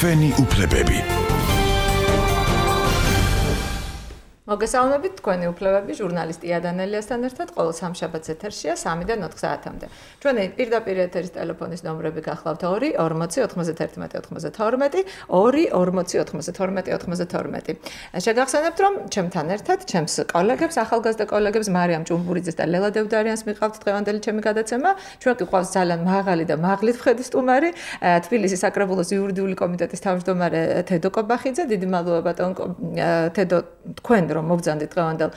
თქვენი უფლებები. მოგესალმებით, თქვენი უფლებები ჟურნალისტი იანელიასთან ერთად ყოველ სამშაბათს ეთერშია 3-დან 4 საათამდე. ჩვენი პირდაპირ ეთერის ტელეფონის ნომრები გახლავთ 2 40 91 92 2 40 92 92. შეგახსენებთ, რომ ჩემთან ერთად ჩემს კოლეგებს, ახალგაზრდა კოლეგებს მარიამ ჭუმბურიძეს და ლელა დევდარიანს მიყავთ დღევანდელი ჩემი გადაცემა. ჩვენ გიყვავს ძალიან მაღალი და მაღლით ვხედი სტუმარი, თბილისის საკრებულოს იურიდიული კომიტეტის თავმჯდომარე თედო კობახიძე. დიდი მადლობა ბატონ თედო, თქვენ რომ მოგზანდით დღევანდელ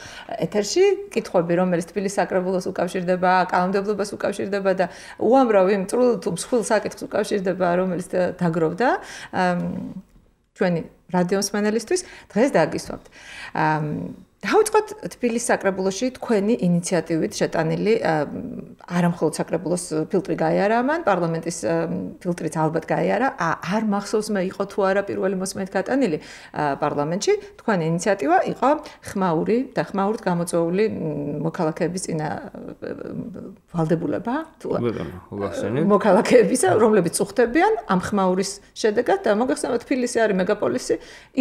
ეთერში, კითხვები, რომელიც თბილისის საკრებულოს უკავშირდება, კანონმდებლობას უკავშირდება და უამრავ იმ წრულ თუ მსხვილ საკითხს უკავშირდება, რომელიც დაგროვდა ჩვენი რადიომსმენელისთვის, დღეს დაგისვამთ. დავიწყოთ თბილისის საკრებულოში თქვენი ინიციატივით შეტანილი არა მხოლოდ საკრებულოს ფილტრი გაიარა ამან, პარლამენტის ფილტრიც ალბათ გაიარა, არ მახსოვს მე იყო თუ არა პირველი მოსმენით გატანილი პარლამენტში, თქვენი ინიციატივა იყო ხმაური და ხმაურით გამოწვეული მოქალაქეების წინა ვალდებულება, მოქალაქეებისა, რომლებიც წუხდებიან ამ ხმაურის შედეგად და მოგეხსენებათ, თბილისი არის მეგაპოლისი,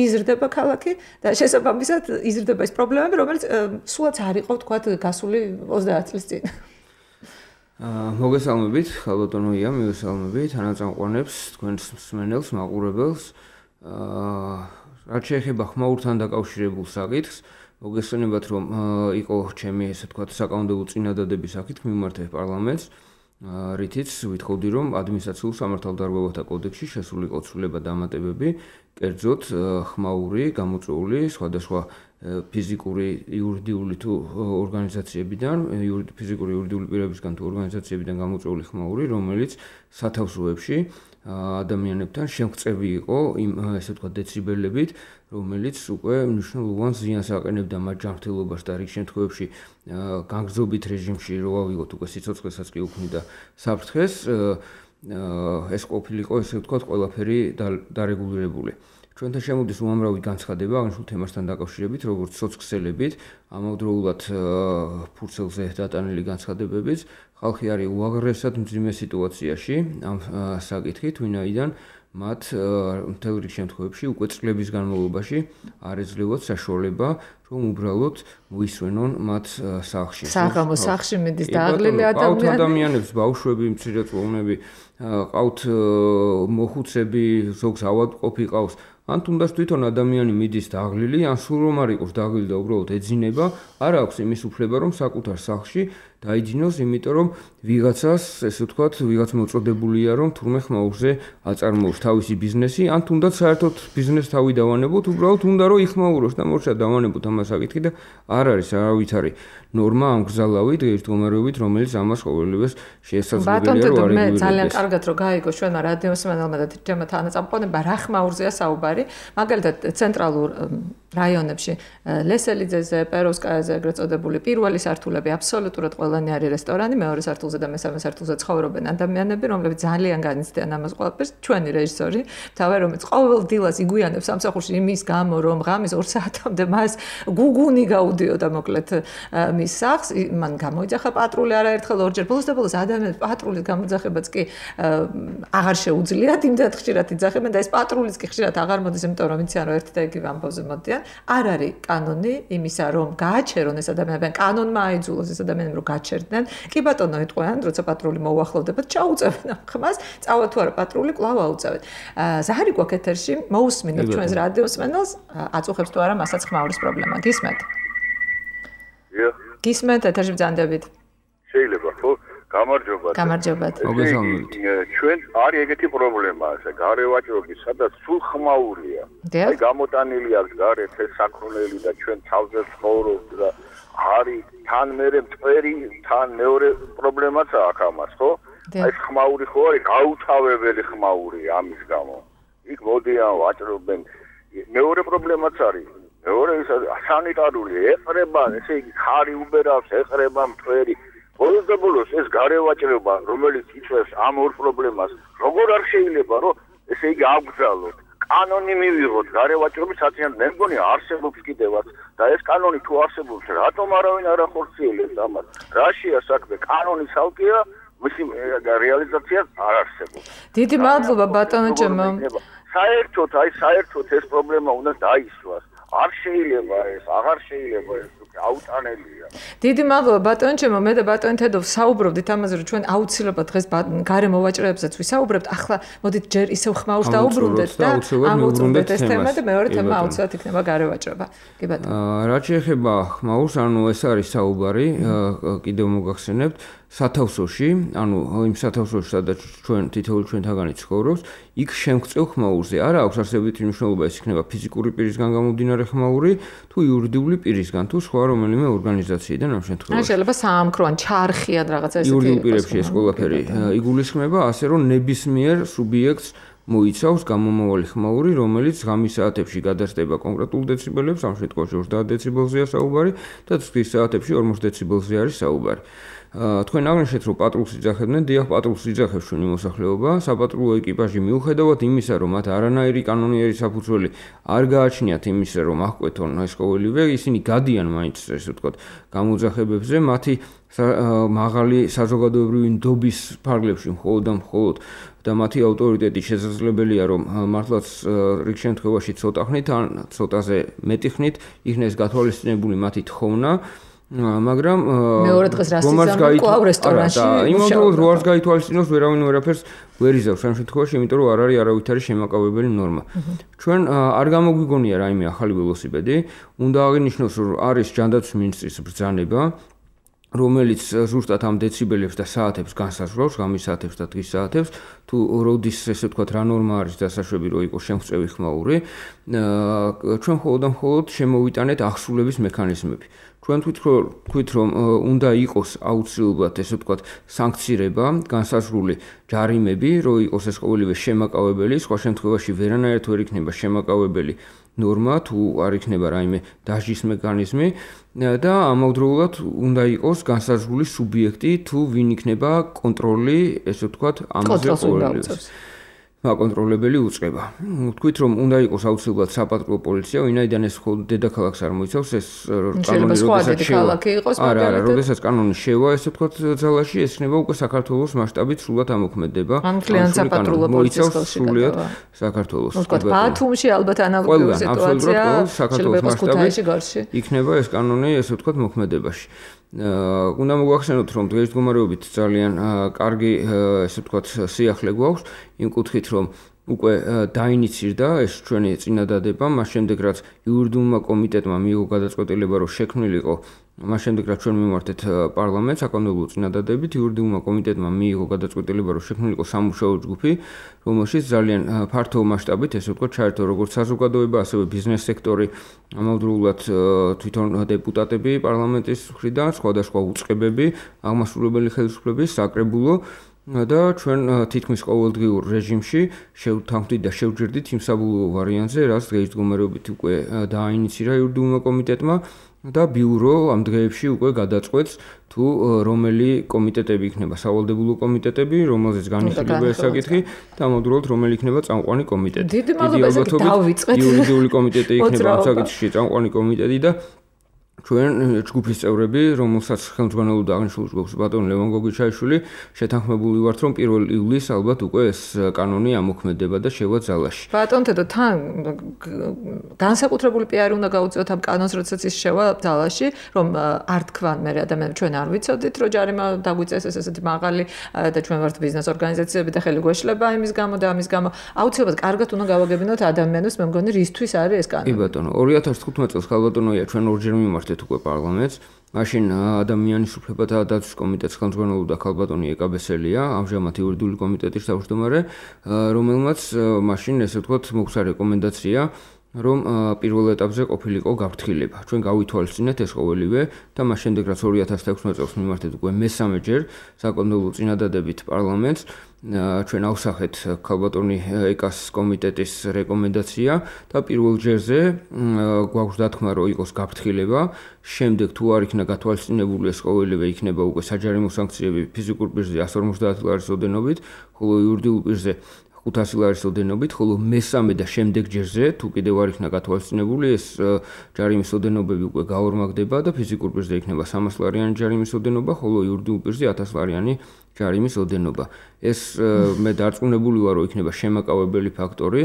იზრდება ქალაქი და შესაბამისად იზრდება ის რომელიც სულაც არ იყო თქვათ გასული 30 წლის წინ. მოგესალმებით, ხალბატონო ია, მივესალმებით თანაწამყვანებს, თქვენს მსმენელს, მაყურებელს. რაც შეეხება ხმაურთან დაკავშირებულ საკითხს, მოგესალმებით, რომ იყო ჩემი ესე თქვათ საკანონმდებლო წინადადების საკითხი მიმართეთ პარლამენტს, რითიც ვითხოვდი, რომ ადმინისტრაციულ სამართალდარღვევათა კოდექსში შესულიყო ცვლილება დამატებები, კერძოდ ხმაური გამოწვეული სხვადასხვა ფიზიკური, იურიდიული თუ ორგანიზაციებიდან, ფიზიკური, იურიდიული პირებისგან თუ ორგანიზაციებიდან გამოწვეული ხმაური, რომელიც სათავსოებში ადამიანებთან შემღწევი იყო იმ ესე ვთქვათ დეციბელებით, რომელიც უკვე მნიშვნელოვან ზიანს აყენებდა მათ ჯანმრთელობას და რიგ შემთხვევებში განგრძობით რეჟიმში რო ავიღოთ უკვე სიცოცხლესაც კი უქმნიდა საფრთხეს, ეს ყოფილიყო ესე ვთქვათ ყველაფერი დარეგულირებული. ჩვენთან შემოდის უამრავი განცხადება აღნიშნულ თემასთან დაკავშირებით, როგორც სოციქსელებით, ამავდროულად ფურცელზე დატანილი განცხადებებიც, ხალხი არის უაღრესად მძიმე სიტუაციაში ამ საკითხით, ვინაიდან მათ მთელ რიგ შემთხვევებში უკვე წლების განმავლობაში არ ეძლევათ საშუალება, რომ უბრალოდ მოისვენონ მათ სახლში. საღამო სახლში მიდის დააღლილი ადამიანებს, ბავშვები, მცირეწლოვნები, ყავთ მოხუცები, ზოგს ავადმყოფი ყავს. ან თუნდაც თვითონ ადამიანი მიდის დააღლილი, ან სულ რომ არ იყოს დააღლილი და უბრალოდ ეძინება, არ აქვს იმის უფლება, რომ საკუთარ სახლში დაიძინოს, იმიტომ რომ ვიღაცას, ესე ვთქვათ, ვიღაც მოწოდებულია, რომ თურმე ხმაურზე აწარმოოს თავისი ბიზნესი, ან თუნდაც საერთოდ ბიზნეს თავი დავანებოთ, უბრალოდ უნდა რომ იხმაუროს და მორჩა დავანებოთ ამას საკითხი და არ არის არავითარი ნორმა ამ გზალავით, ერთგვარობით, რომელიც ამას ყოველივეს შეესაძლებელია რომ არ იგულირდეს. ძალიან კარგად რომ გაიგო ჩვენმა რადიომსმენელმა და თემა თანაწამყვანებმა რა ხმაურზეა საუბარი, მაგალითად ცენტრალურ რაიონებში ლესელიძეზე, პეროვსკაიაზე ეგრეთ წოდებული პირველი სართულები აბსოლუტურად ყველანი არის რესტორანი, მეორე სართულზე და მესამე სართულზე ცხოვრობენ ადამიანები, რომლებიც ძალიან განიცდიან ამას ყველაფერს. ჩვენი რეჟისორი, თავი რომელიც ყოველ დილას იგუიანებს სამსახურში იმის გამო, რომ ღამის 2 საათამდე მას გუგუნი გაუდიოდა მოკლედ მის სახლს, მან გამოიძახა პატრული არაერთხელ ორჯერ, ბოლოს და ბოლოს ადამიანებს პატრულის გამოძახებაც კი აღარ შეუძლიათ, იმდენად ხშირად იძახებენ და ეს პატრულიც კი ხშირად აღარ მოდის, იმიტომ რომ იციან რომ ერთი და იგივე ამბავზე მოდიან. არ არის კანონი იმისა, რომ გააჩერონ ეს ადამიანები, კანონმა აიძულოს ეს ადამიანები, რომ გაჩერდნენ. კი ბატონო, იტყვიან, როცა პატრული მოუახლოვდებათ, ჩაუწევენ ხმას, წავა თუ არა პატრული, კვლავ აუწევენ. ზაჰარი გვაქვს ეთერში, მოусმინოთ ჩვენს რადიოსმენელს, აწუხებს თუ არა მასაც ხმაურის პრობლემა. გისმენთ? გისმენთ, ეთერში ბრძანდებით. შეიძლება, ხო? გამარჯობათ. მოგესალმებით. ჩვენ არის ეგეთი პრობლემა, ესე გარევაჭრობის, სადაც სულ ხმაურია. აი გამოტანილი აქვს გარეთ ეს საქონელი და ჩვენ თავზე ცხოვრობთ და არის თან მერე მწვერი, თან მეორე პრობლემაც აქვს ამას, ხო? აი ხმაური ხო არის გაუთავებელი ხმაური ამის გამო. იქ მოდიან ვაჭრობენ. მეორე პრობლემაც არის. მეორე ის სანიტარული ეყრება, ესე იგი ხარი უბერავს, ეყრება მწვერი. ბოლოს და ბოლოს ეს გარევაჭრება, რომელიც იწვევს ამ ორ პრობლემას, როგორ არ შეიძლება, რომ ესე იგი აგზალოთ. კანონი მივიღოთ გარევაჭრობის საწინააღმდეგო, მე მგონი არსებობს კიდევაც და ეს კანონი თუ არსებობს, რატომ არავინ არ ახორციელებს ამას? რაშია საქმე? კანონი ცალკეა, მისი რეალიზაცია არ არსებობს. დიდი მადლობა ბატონო ჩემო. საერთოდ ეს პრობლემა უნდა დაისვას. არ შეიძლება ეს, აღარ შეიძლება ეს აუტანელია. დიდი მადლობა ბატონჩემო, მე და ბატონი თედო საუბრობდით ამაზე, რომ ჩვენ აუცილებლად დღეს გარემო ვაჭრებებსაც ვისაუბრებთ. ახლა მოდით ჯერ ისევ ხმაურს დაუბრუნდეთ და ამოვუწურდეთ ეს თემა და მეორე თემა აუცილებლად იქნება გარე ვაჭრობა. კი ბატონო. რაც შეეხება ხმაურს, ანუ ეს არის საუბარი, კიდევ მოგახსენებთ. სათავსოში, ანუ იმ სათავსოში, სადაც ჩვენ თითოეული ჩვენთაგანი ცხოვრობს, იქ შემღწევ ხმაურზე არა აქვს არსებითი მნიშვნელობა, ეს იქნება ფიზიკური პირისგან გამომდინარე ხმაური, თუ იურიდიული პირისგან, თუ სხვა რომელიმე ორგანიზაციიდან ამ შემთხვევაში. შეიძლება საამქროან ჩარხიან რაღაცა ესეთი. იურიდიულ პირებში ეს ყველაფერი იგულისხმება, ასე რომ ნებისმიერ სუბიექტს მოიცავს გამომავალი ხმაური, რომელიც ღამის საათებში გადასდება კონკრეტულ დეციბელებს, ამ შემთხვევაში 30 დეციბელზეა საუბარი და ცის საათებში 40 დეციბელზე არის საუბარი. თქვენ აღნიშნეთ, რომ პატრულს იძახებდნენ, დიახ, პატრულს იძახებს ჩვენი მოსახლეობა, საპატრულო ეკიპაჟი მიუხედავად იმისა, რომ მათ არანაირი კანონიერი საფუძველი არ გააჩნიათ იმისა, რომ აღკვეთონ ეს ყოველივე, ისინი გადიან მაინც, ესე ვთქვათ, გამოძახებებზე, მათი მაღალი საზოგადოებრივი ნდობის ფარგლებში მხოლოდ და მათი ავტორიტეტი შესაძლებელია, რომ მართლაც რიგ შემთხვევაში ცოტა ხნით ან ცოტაზე მეტი ხნით იქნეს გათვალისწინებული მათი თხოვნა. მაგრამ მეორე დღეს რას იზამენ კლავ რესტორანში იმავდროულად რო არს გაითვალისწინოს ვერავინ ვერაფერს ვერ იზავს ამ შემთხვევაში, იმიტომ რომ არ არის არავითარი შემაკავებელი ნორმა. ჩვენ არ გამოგვიგონია რაიმე ახალი ველოსიპედი, უნდა აღინიშნოს, რომ არის ჯანდაცვის მინისტრის ბრძანება, რომელიც ზუსტად ამ დეციბელებს და საათებს განსაზღვრავს, ღამის საათებს და დღის საათებს, თუ როდის ესე ვთქვათ რა ნორმა არის დასაშვები, რომ იყოს შემღწევი ხმაური, ჩვენ მხოლოდ შემოვიტანეთ ახსულების მექანიზმები. ჩვენ თქვით, რომ უნდა იყოს აუცილებლად ესე ვთქვათ სანქცირება, განსაზღვრული ჯარიმები, რომ იყოს ეს ყოველივე შემაკავებელი, სხვა შემთხვევაში ვერანაირად ვერ იქნება შემაკავებელი ნორმა, თუ არ იქნება რაიმე დაშლის მექანიზმი და ამავდროულად უნდა იყოს განსაზღვრული სუბიექტი, თუ ვინ იქნება კონტროლი, ესე ვთქვათ, ამაზე ყოველივეს. მაკონტროლებელი უწყება. Თქვით, რომ უნდა იყოს აუცილებლად საპატრულო პოლიცია, ვინაიდან ეს მხოლოდ დედაქალაქს არ მოიცავს, ეს კანონი როდესაც კანონი შევა, ესე ვთქვათ, ძალაში, ეს იქნება უკვე საქართველოს მასშტაბით სრულად ამოქმედება. ან კლიენტ საპატრულო პოლიციის ხელში სრულად საქართველოს. ვთქვათ, ბათუმში ალბათ ანალოგიური სიტუაცია, საქართველოს მასშტაბით იქნება ეს კანონი, ესე ვთქვათ, მოქმედებაში. უნდა მოგახსენოთ, რომ დღეს მდგომარეობით ძალიან კარგი, ესე ვთქვათ, სიახლე გვაქვს, იმ კუთხით, რომ უკვე დაინიცირდა ეს ჩვენი წინადადება, მას შემდეგ რაც იურიდიულმა კომიტეტმა მიიღო გადაწყვეტილება, რომ შექმნილიყო, მას შემდეგ რაც ჩვენ მიმართეთ პარლამენტს საკანონმდებლო წინადადებით, იურიდიულმა კომიტეტმა მიიღო გადაწყვეტილება, რომ შექმნილიყო სამუშაო ჯგუფი, რომელშიც ძალიან ფართო მასშტაბით, ესე ვთქვათ, ჩაერთო როგორც საზოგადოება, ასევე ბიზნეს სექტორი, ამავდროულად თვითონ დეპუტატები პარლამენტის მხრიდან, სხვადასხვა უწყებები, აღმასრულებელი ხელისუფლების საკრებულო და ჩვენ თითქმის ყოველდღიურ რეჟიმში შევთანხმდით და შევჯერდით იმ საბოლოო ვარიანტზე, რაც დღეს მდგომარეობით უკვე დააინიცირა იურიდიულმა კომიტეტმა და ბიურო ამ დღეებში უკვე გადაწყვეტს, თუ რომელი კომიტეტები იქნება სავალდებულო კომიტეტები, რომელზეც განიხილება ეს საკითხი და ამავდროულად რომელი იქნება წამყვანი კომიტეტი. დიდი მადლობა, იურიდიული კომიტეტი იქნება ამ საკითხში წამყვანი კომიტეტი და ჩვენ ჯგუფის წევრები, რომელსაც ხელმძღვანელობდა აღნიშნულ ჯგუფს ბატონი ლევან გოგიჩაიშვილი, შეთანხმებული ვართ, რომ 1 ივლისს ალბათ უკვე ეს კანონი ამოქმედება და შევა ძალაში. ბატონ თედო, თან განსაკუთრებული პიარი უნდა გაუწიოთ ამ კანონს, როდესაც ის შევა ძალაში, რომ არ თქვან მე ადამიანები ჩვენ არ ვიცოდით, რომ ჯარიმა დაგვიწესეს ესეთი მაღალი და ჩვენ ვართ ბიზნეს ორგანიზაციები და ხელი გვეშლება იმის გამო და ამის გამო. აუცილებლად კარგად უნდა გავაგებინოთ ადამიანებს, მე მგონი რისთვის არის ეს კანონი. კი ბატონო, 2015 წელს ხალბატონოია ჩვენ ორჯერ მიმართეთ უკვე პარლამენტს. მაშინ ადამიანის უფლებათა დაცვის კომიტეტს ხელმძღვანელობდა ხალბატონი ეკაბესელია, ამჟამად იურიდიული კომიტეტის თავმჯდომარე, რომელმაც მაშინ ესე ვთქვათ მოგცა რეკომენდაცია, რომ პირველ ეტაპზე ყოფილიყო გაფრთხილება. ჩვენ გავითვალისწინეთ ეს ყოველივე და მას შემდეგ რაც 2016 წელს მიმართეთ უკვე მესამეჯერ საკანონმდებლო წინადადებით პარლამენტს, ჩვენ ავსახეთ ხალბატონი ეკას კომიტეტის რეკომენდაცია და პირველ ჯერზე გვაქვს დათქმა, რომ იყოს გაფრთხილება, შემდეგ თუ არ იქნა გათვალისწინებული ეს ყოველივე იქნება უკვე საჯარიმო სანქციები ფიზიკურ პირზე 150 ლარის ოდენობით, ხოლო იურიდიულ პირზე 500 ლარის ოდენობით, ხოლო მესამე და შემდეგ ჯერზე, თუ კიდევ არ იქნა გათვალისწინებული, ეს ჯარიმის ოდენობები უკვე გაორმაგდება და ფიზიკურ პირზე იქნება 300 ლარიანი ჯარიმის ოდენობა, ხოლო იურიდიულ პირზე 1000 ლარიანი ჯარიმის ოდენობა. ეს მე დარწმუნებული ვარ, რომ იქნება შემაკავებელი ფაქტორი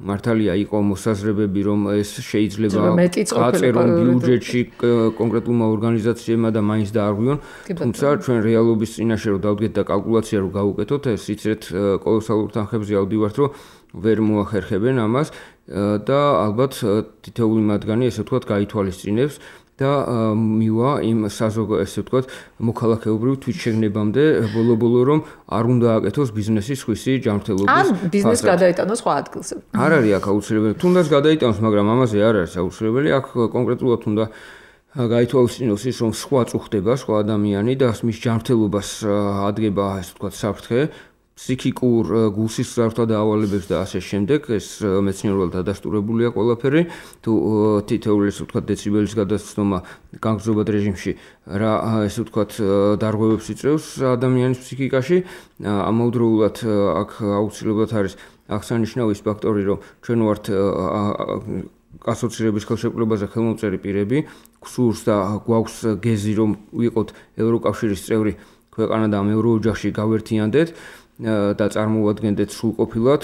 მართალია იყო მოსაზრებები, რომ ეს შეიძლება გაწერონ ბიუჯეტში კონკრეტულმა ორგანიზაციებმა და მაინც დაარღვიონ, თუმცა ჩვენ რეალობის წინაშე რომ დავდგეთ და კალკულაცია რომ გავუკეთოთ, ეს იცით კოლოსალურ თანხებზე ავდივართ, რომ ვერ მოახერხებენ ამას და ალბათ თითოეული მათგანი ესე ვთქვათ გაითვალისწინებს და მივა იმ ესე ვთქვათ მოქალაქეობრივ თვითშეგნებამდე ბოლო-ბოლო რომ არ უნდა აკეთოს ბიზნესის ხვისი ჯანმრთელობის ან ბიზნესი გადაიტანოს სხვა ადგილზე. არ არის აქ აუცილებელი, თუნდაც გადაიტანოს, მაგრამ ამაზე არ არის აუცილებელი, აქ კონკრეტულად უნდა გაითვალისწინოს ის, რომ სხვა წუხდება, სხვა ადამიანი და მის ჯანმრთელობას ადგება ესე ვთქვათ საფრთხე. ფსიქიკურ გულსისხლძარღვთა დაავალებებს და ასე შემდეგ, ეს მეცნიერულად დადასტურებულია ყველაფერი, თუ თითოეული ესე ვთქვათ დეციბელის გადაცნობა განგრძობად რეჟიმში რა ესე ვთქვათ დარღვევებს იწევს ადამიანის ფსიქიკაში, ამავდროულად აქ აუცილებლად არის აღსანიშნავი ის ფაქტორი, რომ ჩვენ ვართ ასოცირების ხელშეკრულებაზე ხელმომწერი პირები, გსურს და გვაქვს გეზი რომ ვიყოთ ევროკავშირის წევრი ქვეყანა და ამ ევროოჯახში გავერთიანდეთ და წარმოვადგენდეთ სრულყოფილად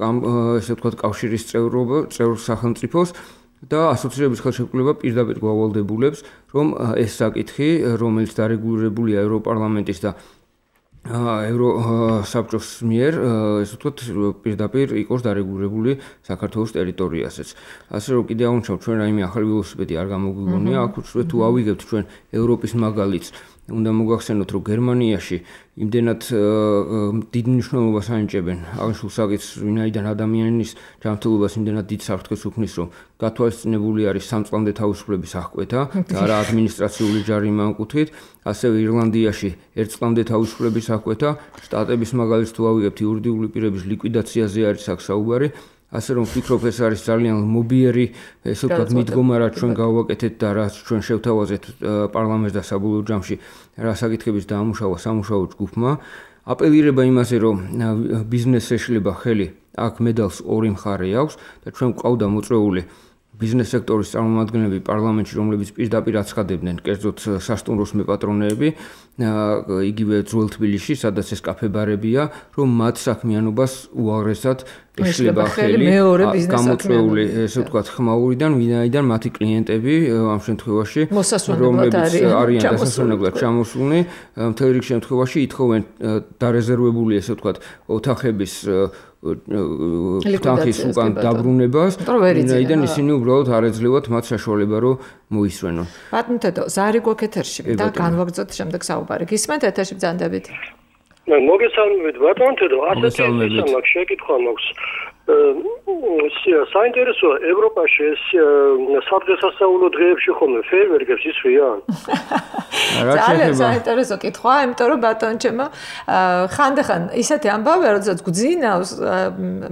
ამ ესე ვთქვათ კავშირის წევრ სახელმწიფოს და ასოცირების ხელშეკრულება პირდაპირ გვავალდებულებს, რომ ეს საკითხი, რომელიც დარეგულირებულია ევროპარლამენტის და ევროსაბჭოს მიერ, ესე ვთქვათ, პირდაპირ იყოს დარეგულირებული საქართველოს ტერიტორიაზეც. ასე რომ კიდე აღნიშნავ, ჩვენ რაიმე ახალი ველოსიპედი არ გამოგვიგონია, აქ თუ ავიგებთ ჩვენ ევროპის მაგალითს, უნდა მოგახსენოთ, რომ გერმანიაში იმდენად დიდ მნიშვნელობას ანიჭებენ აღნიშნულ საკითხს, ვინაიდან ადამიანის ჯანმრთელობას იმდენად დიდ საფრთხეს უქმნის, რომ გათვალისწინებული არის სამწლამდე თავისუფლების აღკვეთა და არა ადმინისტრაციული ჯარიმა ამ კუთხით, ასევე ირლანდიაში ერთწლამდე თავისუფლების აღკვეთა, შტატების მაგალითს თუ ავიღებთ იურიდიული პირების ლიკვიდაციაზე არის აქ საუბარი. ასე რომ ვფიქრობ, ეს არის ძალიან მობიერი, ესე ვთქვათ, მიდგომა, რაც ჩვენ გავაკეთეთ და რაც ჩვენ შევთავაზეთ პარლამენტს და საბოლოო ჯამში რა საკითხების დაამუშავა სამუშაო ჯგუფმა. აპელირება იმაზე, რომ ბიზნესს ეშლება ხელი, აქ მედალს ორი მხარე აქვს და ჩვენ გვყავდა მოწვეული ბიზნეს სექტორის წარმომადგენლები პარლამენტში, რომლებიც პირდაპირ აცხადებდნენ, კერძოდ სასტუმროს მეპატრონეები, იგივე ძველ თბილისში, სადაც ეს კაფე-ბარებია, რომ მათ საქმიანობას უაღრესად ეშლება ხელი გამოწვეული, ესე ვთქვათ, ხმაურიდან, ვინაიდან მათი კლიენტები ამ შემთხვევაში, რომლებიც არიან დასასვენებლად ჩამოსულნი, მთელ რიგ შემთხვევაში ითხოვენ დარეზერვებული, ესე ვთქვათ, ოთახების თანხის უკან დაბრუნებას, ვინაიდან ისინი უბრალოდ არ ეძლევათ მათ საშუალება, რომ მოისვენონ. ბატონო თედო, ზარი გვაქვს ეთერში და განვაგრძოთ შემდეგ საუბარი. გისმენთ ეთერში ბრძანდებით? მოგესალმებით ბატონო თედო, ასეთი მაქვს შეკითხვა მაქვს. საინტერესოა ევროპაში ეს სადღესასწაულო დღეებში ხოლმე ფეიერვერკებს ისვიან? ძალიან საინტერესო კითხვაა, იმიტომ რომ ბატონო ჩემო ხანდახან ისეთი ამბავია, როდესაც გძინავს,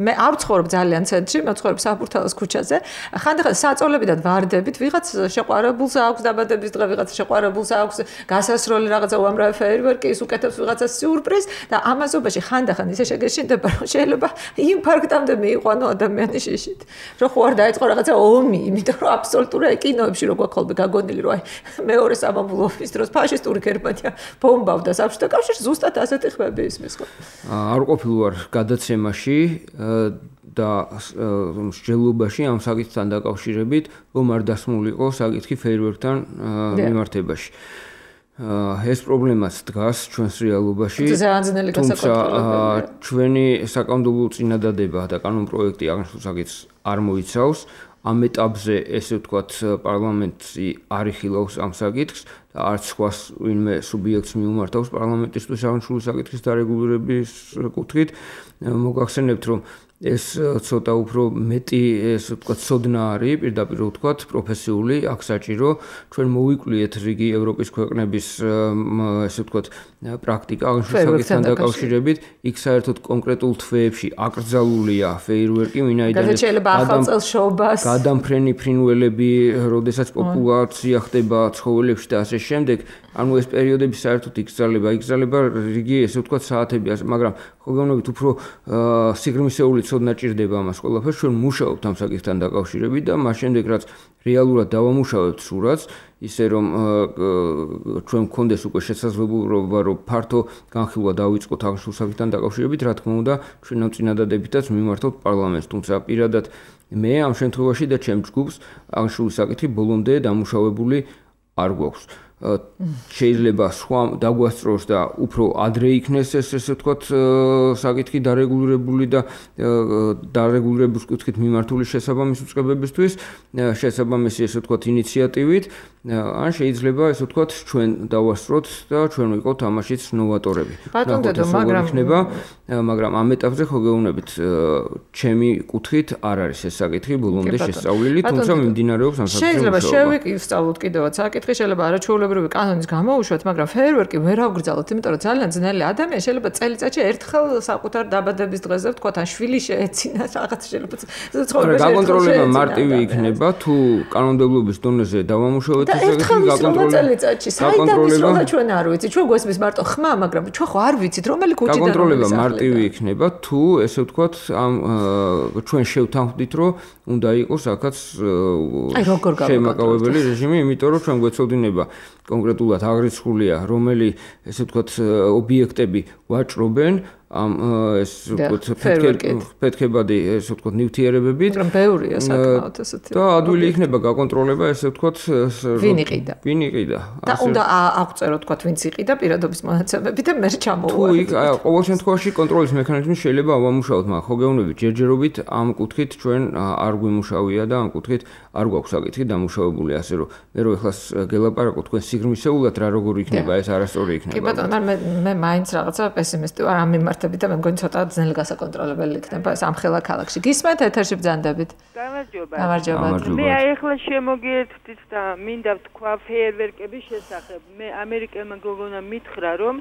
მე არ ვცხოვრობ ძალიან ცენტრში, მე ვცხოვრობ საფურთალოს ქუჩაზე, ხანდახან საწოლებიდან ვარდებით, ვიღაც შეყვარებულს აქვს დაბადების დღე, ვიღაც შეყვარებულს აქვს გასასროლი რაღაცა უამრავი ფეიერვერკი, ის უკეთებს ვიღაცა სიურპრიზ და ამაზობაში ხანდახან ისე შეგეშინდება, რომ შეიძლება ინფარქტამდე მიიყვანო ადამიანის შიშით. რომ ხო არ დაიწყო რაღაცა ომი, იმიტომ რომ აბსოლუტურად კინოებში რო გვაქვს ხოლმე გაგონილი, რომ აი მეორე სამამულო ომის დროს ფაშისტური გერმანია ბომბავდა საბჭოთა კავშირს, ზუსტად ასეთი ხმები ისმის ხო? არ ყოფილი ვარ გადაცემაში და მსჯელობაში ამ საკითხთან დაკავშირებით, რომ არ დასმულიყო საკითხი ფეიერვერკთან მიმართებაში. ეს პრობლემაც დგას ჩვენს რეალობაში. თუმცა ჩვენი საკანონმდებლო წინადადება და კანონპროექტი აღნიშნულ საკითხს არ მოიცავს. ამ ეტაპზე ესე ვთქვათ პარლამენტი არ იხილავს ამ საკითხს და არც სხვა ვინმე სუბიექტს მიუმართავს პარლამენტისთვის აღნიშნული საკითხის დარეგულირების კუთხით. მოგახსენებთ, რომ ეს ცოტა უფრო მეტი ესე ვთქვათ ცოდნა არის, პირდაპირ ვთქვათ, პროფესიული, აქ საჭირო ჩვენ მოვიკვლიეთ რიგი ევროპის ქვეყნების ესე ვთქვათ პრაქტიკა აღნიშნულ საკითხთან დაკავშირებით, იქ საერთოდ კონკრეტულ თვეებში აკრძალულია ფეიერვერკი, ვინაიდან გადამფრენი ფრინველები, როდესაც პოპულაცია ხდება ცხოველებში და ასე შემდეგ, ანუ ეს პერიოდები საერთოდ იგრძელება რიგი ესე ვთქვათ საათები, მაგრამ ხო გეუბნებით უფრო სიღრმისეული ცოდნა ჭირდება ამას ყველაფერს, ჩვენ მუშაობთ ამ საკითხთან დაკავშირებით და მას შემდეგ რაც რეალურად დავამუშავებთ სურათს, ისე რომ ჩვენ გქონდეს უკვე შესაძლებლობა რომ ფართო განხილვა დავიწყოთ აღნიშნულ საკითხთან დაკავშირებით, რა თქმა უნდა, ჩვენ ამ წინადადებითაც მიმართოთ პარლამენტს, თუმცა პირადად მე ამ შემთხვევაში და ჩემ ჯგუფს აღნიშნული საკითხი ბოლომდე დამუშავებული არ გვაქვს. შეიძლება სხვა დაგვასწროს და უფრო ადრე იქნეს ეს ესე ვთქვათ საკითხი დარეგულირებული და დარეგულირების კუთხით მიმართული შესაბამის უწყებებისთვის შესაბამისი ესე ვთქვათ ინიციატივით ან შეიძლება ესე ვთქვათ ჩვენ დავასწროთ და ჩვენ ვიყოთ ამაშიც ნოვატორები. მაგრამ ამ ეტაპზე ხო გეუბნებით ჩემი კუთხით არ არის ეს საკითხი ბოლომდე შესწავლილი, თუმცა მიმდინარეობს ამ საკითხში. შეიძლება შევიკისწავლოთ კიდევაც საკითხი, შეიძლება არაჩვეულებრივი კანონის გამოუშვათ, მაგრამ ფეერვერკი ვერ ავგრძელოთ, იმიტომ რომ ძალიან ძნელი ადამიანი შეიძლება წელიწადში ერთხელ საკუთარ დაბადების დღეზე ვთქვათ, ან შვილი შეეცინა რაღაც შეიძლება ცხოვრებაში. გაკონტროლება მარტივი იქნება, თუ კანონმდებლობის დონეზე დავამუშავებთ ეს საკითხი გაკონტროლება. წელიწადში საიდან ჩვენ არ ვიცით, ჩვენ გვესმის მარტო ხმა, მაგრამ ჩვენ ხო არ ვიცით, რომელი კუჭიდან გაკონტროლება მარტივი იქნება, თუ ესე ვთქვათ, ამ ჩვენ შევთანხმდით, რომ უნდა იყოს აქაც შემაკავებელი რეჟიმი, იმიტომ რომ ჩვენ გვეცოდინება კონკრეტულად აღრიცხულია, რომელი ესე ვთქვათ ობიექტები ვაჭრობენ ამ ეს ვთქვათ ფეთქებადი ესე ვთქვათ ნივთიერებებით. მაგრამ ბევრია საკმაოდ ესეთი. და ადვილი იქნება გაკონტროლება ესე ვთქვათ ვინ იყიდა. და უნდა აღწერო ვთქვათ ვინც იყიდა პირადობის მონაცემები და მე ჩამოვარდეთ. თუ ყოველ შემთხვევაში კონტროლის მექანიზმი შეიძლება ავამუშავოთ, მაგრამ ხო გეუბნებით ჯერჯერობით ამ კუთხით ჩვენ არ გვიმუშავია და ამ კუთხით არ გვაქვს საკითხი დამუშავებული, ასე რომ მე რო ეხლა გელაპარაკო თქვენ სიგრმისეულად რა როგორ იქნება ეს არასწორი იქნება. კი ბატონო, მე მაინც რაღაცა პესიმისტი ვარ ამ მიმართ და მე მგონი ცოტა ძნელი გასაკონტროლებელი იქნება ეს ამხელა ქალაქში. გისმენთ ეთერში ბრძანდებით. გამარჯობა. მე ახლა შემოგიერთდით და მინდა ვთქვა ფეერვერკების შესახებ. მე ამერიკელმა გოგონა მითხრა რომ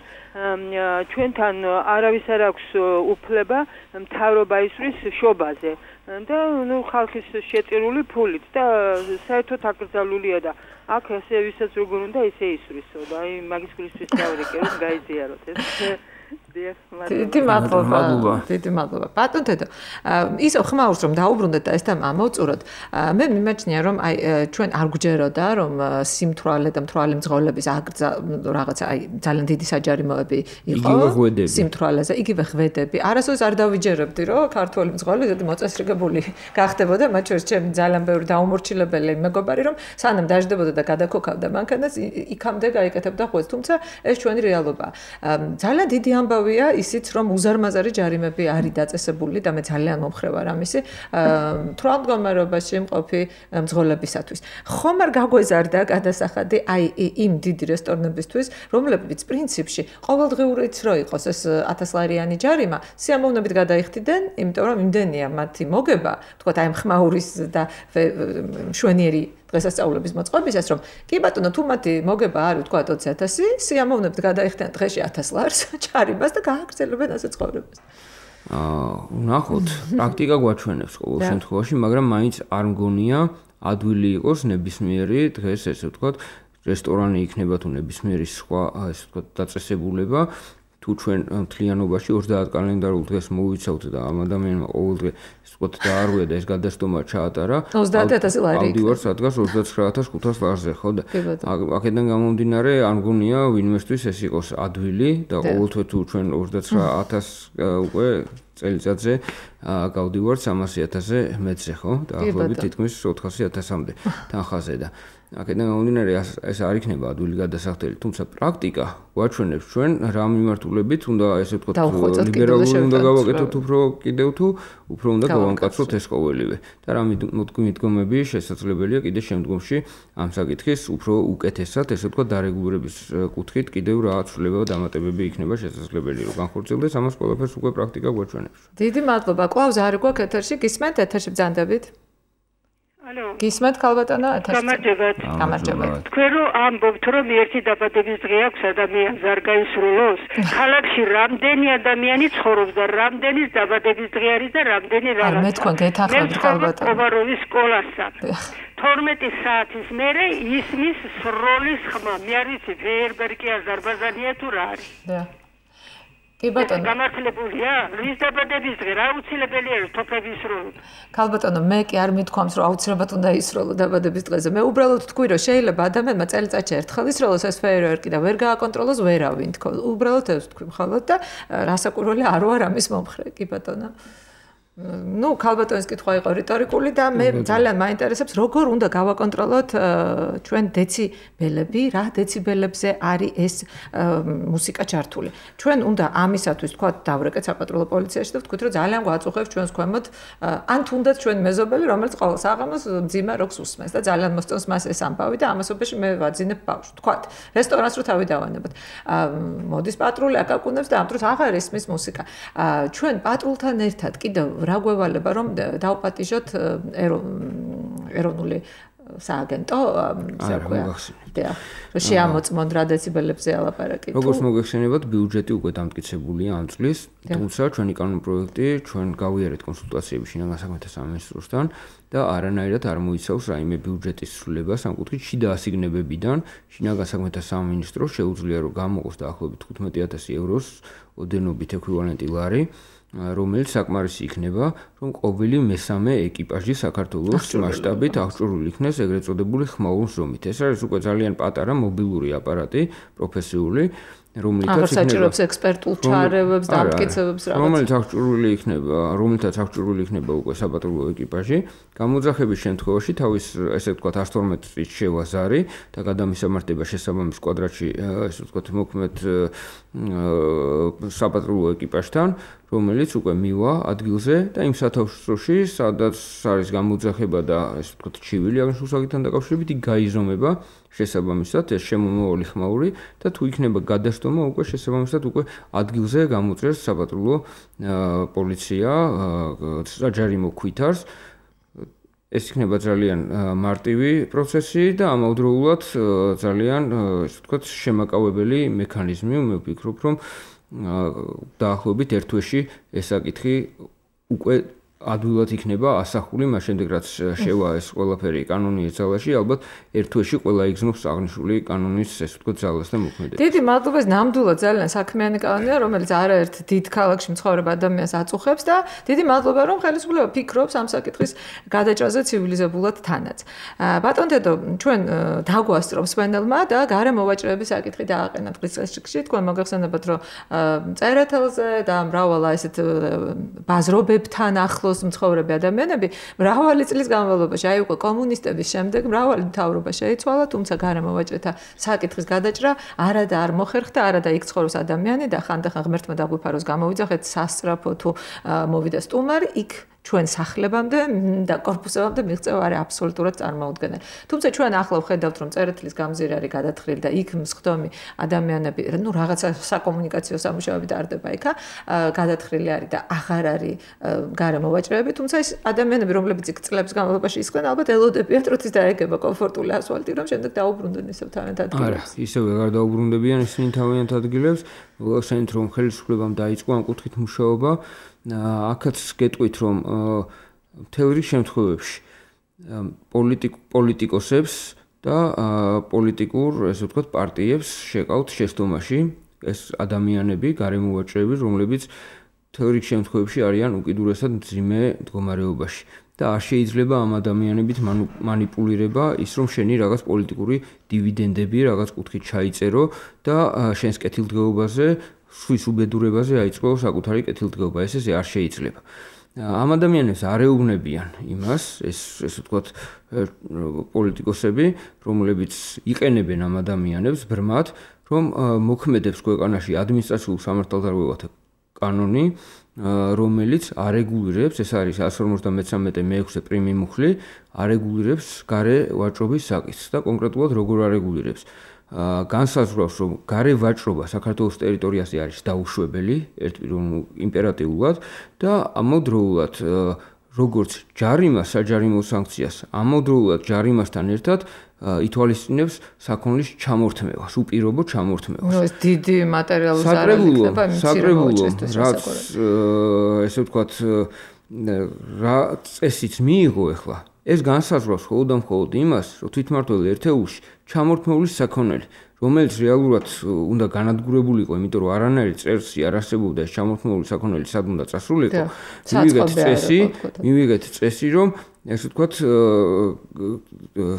ჩვენთან არავის არ აქვს უფლება მთავრობა ისვრის შობაზე და ნუ ხალხის შეწირული ფულით და საერთოდ აკრძალულია და აქ ესე ვისაც როგორ უნდა ისე ისვრისო და აი მაგის გულისთვის დავრეკე რომ გაიზიაროთ ეს დიდი მადლობა. ბატონ დედო, ისო ხმაურს რომ დაუბრუნდეთ და ეს თემა ამოვწუროთ, მე მიმაჩნია რომ აი ჩვენ არ გვჯეროდა რომ სიმთვრალე და მთვრალი მძღოლების რაღაცა აი ძალიან დიდი საჯარიმოები იყო სიმთვრალეზე, იგივე ღვედები. არასოდეს არ დავიჯერებდი რომ ქართული მძღოლი ზოგი მოწესრიგებული გახდებოდა, მათ შორის ჩემი ძალიან ბევრი დაუმორჩილებელი მეგობარი რომ სანამ დაждდებოდა და გადაქოქავდა მანქანას, იქამდე გაიკეთებდა ღვედს, თუმცა ეს ჩვენი რეალობაა. ძალიან დიდი ამბავია ისიც რომ უზარმაზარი ჯარიმები არის დაწესებული და მე ძალიან მომხრე ვარ ამისი თვალმდგომარეობაში მყოფი მძღოლებისათვის. ხომ არ გაგვეზარდა გადასახადი აი იმ დიდი რესტორნებისთვის, რომლებიც პრინციპში ყოველდღიურიც რო იყოს ეს 1000 ლარიანი ჯარიმა, სიამოვნებით გადაიხდიდნენ, იმიტომ რომ იმდენია მათი მოგება, თქვათ აი ხმაურის და მშვენიერი დღესასწაულების მოწყობისას, რომ კი ბატონო, თუ მათი მოგება არის თქვა 20000, სიამოვნებით გადაიხდიან დღეში 1000 ლარს ჩარიმას და გააგრძელებენ ასე ცხოვრებას. ვნახოთ, პრაქტიკა გვაჩვენებს ყოველ შემთხვევაში, მაგრამ მაინც არ მგონია ადვილი იყოს ნებისმიერი დღეს ესე ვთქვათ, რესტორანი იქნება თუ ნებისმიერი სხვა ესე ვთქვათ დაწესებულება. თუ ჩვენ მთლიანობაში 30 კალენდარულ დღეს მოვიცავთ და ამ ადამიანმა ყოველდღე ისე ვთქვათ დაარღვია და ეს გადასტომა ჩაატარა 30000 ლარი. ავდივარ სადღაც 29500 ლარზე, ხო და აქედან გამომდინარე არ მგონია ვინმესთვის ეს იყოს ადვილი და ყოველთვე თუ ჩვენ 29000 უკვე წელიწადზე გავდივართ 300000-ზე მეტზე, ხო? და ახლობით თითქმის 400000-მდე თანხაზე და აქედან გამომდინარე ეს არ იქნება ადვილი გადასახდელი, თუმცა პრაქტიკა გვაჩვენებს ჩვენ რა მიმართულებით უნდა ესე ვთქვათ ლიბერალური უნდა გავაკეთოთ კიდევ თუ უფრო უნდა გავამკაცროთ ეს ყოველივე და რა მიდგომები შესაძლებელია კიდე შემდგომში ამ საკითხის უფრო უკეთესად ესე ვთქვათ დარეგულირების კუთხით კიდევ რა ცვლილება და დამატებები იქნება შესაძლებელი რომ განხორციელდეს ამას ყველაფერს უკვე პრაქტიკა გვაჩვენებს. დიდი მადლობა. კვლავ ზარი გვაქვს ეთერში, გისმენთ ეთერში ბრძანდებით. ალო. გისმენთ ქალბატონო ეთერში. გამარჯობა. თქვენ რომ ამბობთ რომ ერთი დაბადების დღე აქვს ადამიანს არ გაისრულოს, ქალაქში რამდენი ადამიანი ცხოვრობს და რამდენი დაბადების დღე არის და რამდენი რაღაცა. არ მე თქვენ გეთანხმებით ქალბატონო. ოვაროვის სკოლასთან. 12 საათის მერე ისმის სროლის ხმა. მე არ ვიცი ფეერბერკი აზერბაიჯანია თუ რა არის. კი ბატონო. გამართლებულია? რის დაბადების დღე რა უცილებელია თოფების სროლი? ქალბატონო, მე კი არ მithქვამს, რომ აუცილებლად უნდა ისროლო დაბადების დღეზე. მე უბრალოდ თქვი, რომ შეიძლება ადამიანმა წელიწადში ერთხელ ისროლოს ეს ფეიერვერკი და ვერ გააკონტროლოს ვერავინ თქო. უბრალოდ ეს თქვი მხოლოდ და რასაკვირველია არ ვარ ამის მომხრე, კი ბატონო. Ну, ქალბატონის კითხვა იყო რიტორიკული და მე ძალიან მაინტერესებს, როგორ უნდა გავაკონტროლოთ ჩვენ დეციბელები, რა დეციბელებზე არის ეს მუსიკა ჩართული. ჩვენ უნდა ამისათვის თქვა დავრეკეთ საპატრულო პოლიციაში და ვთქვით, რომ ძალიან გვაწუხებს ჩვენს ქვემოთ, ან თუნდაც ჩვენ მეზობელი, რომელიც ყოველ საღამოს მძიმე როკს უსმენს და ძალიან მოსწონს მას ეს ამბავი და ამასობაში მე ვაძინებ ბავშვს. თქვათ, რესტორანს რო თავი დავანებოთ. მოდის პატრული აკაკუნებს და ამ დროს აღარ ისმის მუსიკა. ჩვენ პატრულთან ერთად კიდევ რა გვევალება რომ დავპატიჟოთ ეროვნული სააგენტო ისე ვქვია. და შეამოწმონ რა დეციბელებზე ალაპარაკი. როგორც მოგეხსენებათ, ბიუჯეტი უკვე დამტკიცებულია ამ წლის, თუმცა ჩვენი კანონპროექტი ჩვენ გავიარეთ კონსულტაციები შინაგან საქმეთა სამინისტროსთან და არანაირად არ მოიცავს რაიმე ბიუჯეტის ცვლილებას ამ კუთხით შიდა ასიგნებებიდან. შინაგან საქმეთა სამინისტროს შეუძლია რომ გამოყოს დაახლოებით 15,000 ევროს ოდენობით ექვივალენტი ლარი. რომელიც საკმარისი იქნება, რომ ყოველი მესამე ეკიპაჟი საქართველოს მასშტაბით აღჭურვილი იქნეს ეგრეთ წოდებული ხმაურ ზომით. ეს არის უკვე ძალიან პატარა მობილური აპარატი, პროფესიული, რომელიცაც საჭიროებს ექსპერტულ ჩარევებს და ამტკიცებებს რაღაც. რომელთაც აღჭურვილი იქნება უკვე საპატრულო ეკიპაჟი, გამოძახების შემთხვევაში თავის ესე ვთქვათ 112 წლის შევაზარი და გადამისამართება შესაბამის კვადრატში, ესე ვთქვათ მოქმედ საპატრულო ეკიპაჟთან, რომელიც უკვე მივა ადგილზე და იმ სათავშოში, სადაც არის გამოძახება და ესე ვთქვათ ჩივილი აღნიშნულსაგთან დაკავშირებით იქ გაიზომება შესაბამისად ეს შემომავალი ხმაური და თუ იქნება გადასტომა უკვე შესაბამისად უკვე ადგილზე გამოწეს საპატრულო პოლიცია საჯარიმო ქვითარს. ეს იქნება ძალიან მარტივი პროცესი და ამავდროულად ძალიან ესე ვთქვათ შემაკავებელი მექანიზმი. მე ვფიქრობ, რომ დაახლოებით ერთ თვეში ეს საკითხი უკვე ადვილად იქნება ასახული, მას შემდეგ რაც შევა ეს ყველაფერი კანონის ძალაში, ალბათ ერთ თვეში ყველა იგზნობს აღნიშნული კანონის ეს ვთქვათ ძალას და მოქმედებას. დიდი მადლობა, ნამდვილად ძალიან საქმიანი კანონია, რომელიც არაერთ დიდ ქალაქში მცხოვრებ ადამიანს აწუხებს და დიდი მადლობა, რომ ხელისუფლება ფიქრობს ამ საკითხის გადაჭრაზე ცივილიზებულად თანაც. ბატონ დედო, ჩვენ დაგვასწრობს პანელმა და გარე მოვაჭრეების საკითხი დააყენა დღის წესრიგში. თქვენ მოგეხსენებათ, რომ წერეთელზე და მრავალ ესეთ ბაზრობებთან ახლოს მცხოვრები ადამიანები მრავალი წლის განმავლობაში აი უკვე კომუნისტების შემდეგ მრავალი მთავრობა შეიცვალა, თუმცა გარე მოვაჭრეთა საკითხის გადაჭრა არადა არ მოხერხდა, არადა იქ ცხოვრობს ადამიანი და ხანდახან ღმერთმა დაგვიფაროს გამოვიძახეთ სასწრაფო თუ მოვიდა სტუმარი, იქ ჩვენ სახლებამდე და კორპუსებამდე მიღწევა არის აბსოლუტურად წარმოუდგენელი. თუმცა ჩვენ ახლა ვხედავთ, რომ წერეთლის გამზირი არის გადათხრილი და იქ მსხდომი ადამიანები, ну რაღაცა საკომუნიკაციო სამუშაოები ტარდება იქა, გადათხრილი არის და აღარ არის გარე მოვაჭრეები, თუმცა ეს ადამიანები, რომლებიც იქ წლების განმავლობაში ისხდნენ, ალბათ ელოდებიან როდის დაეგება კომფორტული ასფალტი, რომ შემდეგ დაუბრუნდნენ ისევ თავიანთ ადგილებს. არა, ისევ აღარ დაუბრუნდებიან ისინი თავიანთ ადგილებს, მოგახსენეთ, რომ ხელისუფლებამ დაიწყო ამ კუთხით მუშაობა. აქაც გეტყვით, რომ მთელ რიგ შემთხვევებში პოლიტიკოსებს და პოლიტიკურ, ესე ვთქვათ, პარტიებს შეკავთ შეცდომაში ეს ადამიანები, გარემოვაჭრეები, რომლებიც მთელ რიგ შემთხვევებში არიან უკიდურესად მძიმე მდგომარეობაში. და არ შეიძლება ამ ადამიანებით მანიპულირება ის, რომ შენი რაღაც პოლიტიკური დივიდენდები რაღაც კუთხით ჩაიწერო და შენს კეთილდღეობაზე სვის უბედურებაზე აიწყო საკუთარი კეთილდღეობა. ესე არ შეიძლება. ამ ადამიანებს არ ეუბნებიან იმას, ესე ვთქვათ, პოლიტიკოსები, რომლებიც იყენებენ ამ ადამიანებს ბრმად, რომ მოქმედებს ქვეყანაში ადმინისტრაციულ სამართალდარღვევათა კანონი, რომელიც არეგულირებს, ეს არის 153-მე-6 პრიმი მუხლი, არეგულირებს გარე ვაჭრობის საკითხს და კონკრეტულად როგორ არეგულირებს. განსაზღვრავს, რომ გარე ვაჭრობა საქართველოს ტერიტორიაზე არის დაუშვებელი, იმპერატიულად და ამავდროულად როგორც ჯარიმას, საჯარიმო საკციას, ამავდროულად ჯარიმასთან ერთად ითვალისწინებს საქონლის ჩამორთმევას, უპირობო ჩამორთმევას. ეს დიდი მატერიალური ზარალი იქნება მცირე მოვაჭრესთვის რაც ესე ვთქვათ, რა წესიც მიიღო ახლა. ეს განსაზღვრავს მხოლოდ იმას, რომ თვითმმართველ ერთეულში ჩამორთმეული საქონელი, რომელიც რეალურად უნდა განადგურებულიყო, იმიტომ რომ არანაირი წესი არ არსებობდა ეს ჩამოთმული საქონელი სად უნდა წასულიყო. მივიღეთ წესი, რომ ესე ვთქვათ,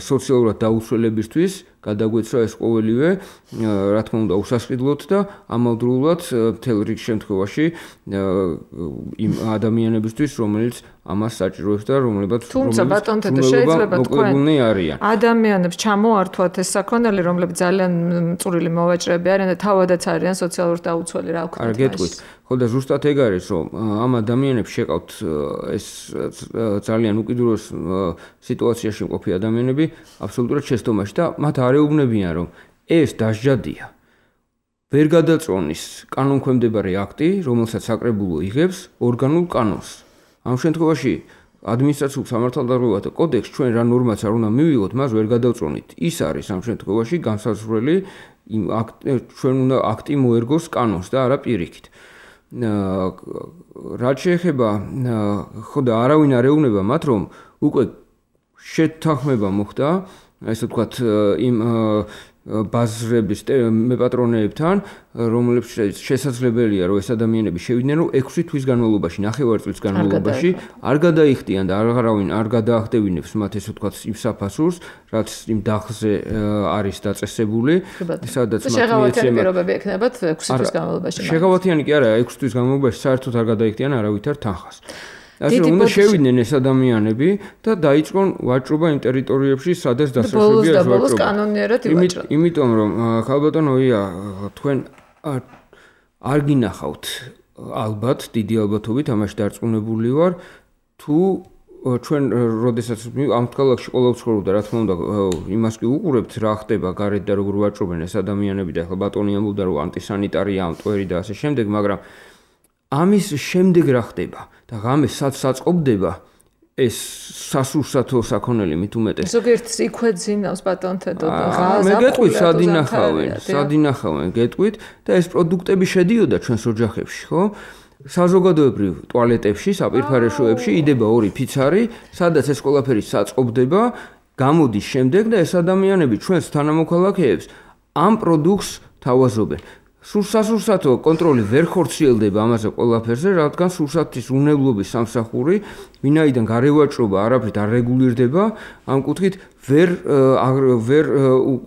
სოციალურად დაუცველებისთვის გადაგვეცრა ეს ყოველივე, რა თქმა უნდა, უსასყიდლოდ და ამავდროულად მთელ რიგ შემთხვევაში იმ ადამიანებისთვის, რომელიც ამას საჭიროებს და რომლებიც თუმცა ბატონთო შეიძლება თქვენ ადამიანებს ჩამოართვათ ეს საქონელი, რომლებიც ძალიან მწვრილი მოვაჭრეები არიან და თავადაც არიან სოციალურად დაუცველი, რა ვქნათ. არ გეტყვით. ხო და ზუსტად ეგ არის, რომ ამ ადამიანებს შეყავთ ეს ძალიან უკიდურეს სიტუაციაში მყოფი ადამიანები აბსოლუტურად შეცდომაში და მათ არ ეუბნებიან, რომ ეს დასჯადია. ვერ გადაწონის კანონქვემდებარე აქტი, რომელსაც საკრებულო იღებს ორგანულ კანონს. ამ შემთხვევაში ადმინისტრაციულ სამართალდარღვევათა კოდექსში ჩვენ რა ნორმაც არ უნდა მივიღოთ, მას ვერ გადავწონით. ის არის ამ შემთხვევაში განსაზღვრელი ჩვენ უნდა აქტი მოერგოს კანონს და არა პირიქით. რაც შეეხება ხო და არავინ არ ეუბნება მათ, რომ უკვე შეთანხმება მოხდა, ესე ვთქვათ, იმ ბაზრების მეპატრონეებთან, რომლებშიც შესაძლებელია, რომ ეს ადამიანები შევიდნენ, რომ 6 თვის განმავლობაში, 9 წლის განმავლობაში არ გადაიხდიან და არავინ არ გადაახდევინებს მათ, ესე ვთქვათ, იმ საფასურს, რაც იმ დახზე არის დაწესებული, სადაც მათ შეღავათიანი პირობები ექნებათ 6 თვის განმავლობაში. შეღავათიანი კი არა, 6 თვის განმავლობაში საერთოდ არ გადაიხდიან არავითარ თანხას. ასე უნდა შევიდნენ ეს ადამიანები და დაიწყონ ვაჭრობა იმ ტერიტორიებში, სადაც დასაშვებია ეს ვაჭრობა. კანონიერად ივაჭრა. იმიტომ რომ ხალბატონოია, თქვენ არ გინახავთ ალბათ, დიდი ალბათობით ამაში დარწმუნებული ვარ, თუ ჩვენ როდესაც ამ ქალაქში ყოველ ცხოვრობდა, რა თქმა უნდა, იმას კი უყურებთ, რა ხდება გარეთ და როგორ ვაჭრობენ ეს ადამიანები და ახლა ბატონი ამბობდა, რომ ანტისანიტარია, მტვერი და ასე შემდეგ, მაგრამ ამის შემდეგ რა ხდება და ღამე საწყობდება ეს სასურსათო საქონელი მით უმეტეს. ზოგიერთს იქვეძინავს ბატონთო და ღაზა. მე გეტყვით, სად ინახავენ, გეტყვით და ეს პროდუქტები შედიოდა ჩვენს ოჯახებში, ხო? საზოგადოებრივ ტუალეტებში, საპირფარეშოებში იდება 2 ფიცარი, სადაც ეს ყველაფერი საწყობდება, გამოდის შემდეგ და ეს ადამიანები ჩვენს თანამოქალაქეებს ამ პროდუქტს თავაზობენ. სასურსათო კონტროლი ვერ ხორციელდება ამაზე ყველაფერზე, რადგან სურსათის უნებლობის სამსახური, ვინაიდან გარევაჭრობა არაფრით არ რეგულირდება, ამ კუთხით ვერ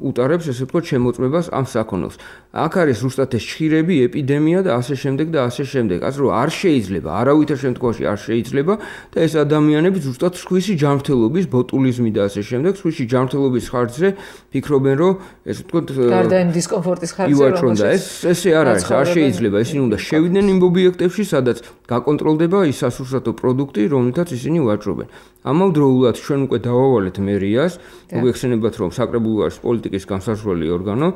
უტარებს, ესე ვთქვათ, შემოწმებას ამ საქონელს. აქ არის ზუსტად ეს ჩხირები, ეპიდემია და ასე შემდეგ და ასე შემდეგ. ასე რომ არ შეიძლება, არავითარ შემთხვევაში არ შეიძლება და ეს ადამიანები ზუსტად სხვისი ჯანმრთელობის, ბოტულიზმი და ასე შემდეგ, სხვისი ჯანმრთელობის ხარჯზე ფიქრობენ, რომ ესე ვთქვათ, გარდა იმ დისკომფორტის ხარჯზე, ესე არ არის, არ შეიძლება, ისინი უნდა შევიდნენ იმ ობიექტებში, სადაც გაკონტროლდება ის სასურსათო პროდუქტი, რომელთაც ისინი ვაჭრობენ. ამავდროულად ჩვენ უკვე დავავალეთ მერიას, მოგეხსენებათ, რომ საკრებულო არის პოლიტიკის განსაზღვრელი ორგანო,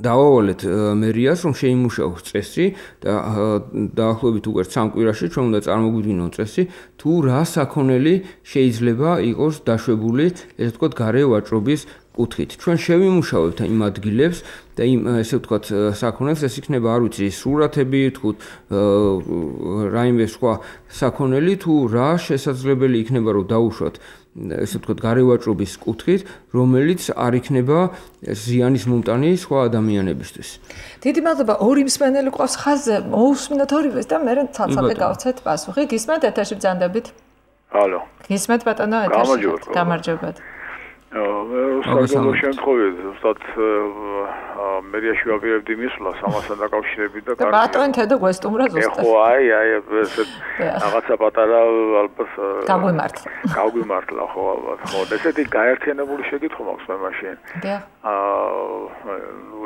დავავალეთ მერიას, რომ შეიმუშაოს წესი და დაახლოებით უკვე 3 კვირაში ჩვენ უნდა წარმოგვიდგინონ წესი, თუ რა საქონელი შეიძლება იყოს დაშვებული, ესე ვთქვათ, გარე ვაჭრობის კუთხით. ჩვენ შევიმუშავებთ იმ ადგილებს და იმ ესე ვთქვათ საქონელს, ეს იქნება, არ ვიცი, სურათები, თქვით, რაიმე სხვა საქონელი, თუ რა შესაძლებელი იქნება, რომ დაუშვათ ესე ვთქვათ, გარე ვაჭრობის კუთხით, რომელიც არ იქნება ზიანის მომტანი სხვა ადამიანებისთვის. დიდი მადლობა, 2 მსმენელი ყავს ხაზზე, მოусმინოთ ორივეს და მე ცალ-ცალკე გავცეთ პასუხი. გისმენთ ეთერში ბრძანდებით? ალო. გისმენთ ბატონო ეთერში? გამარჯობათ. რუსთავის შემთხვევით, ზუსტად მერიაში ვაპირებდი მისვლას ამასთან დაკავშირებით და ბატონი თედო გვესტუმრა ზუსტად. ხო, აი, ესე რაღაცა პატარა ალბათ გაგვიმართლა, ხო, ალბათ. ხო, ესეთი გაერთიანებული შეკითხვა მაქვს მე მაშინ.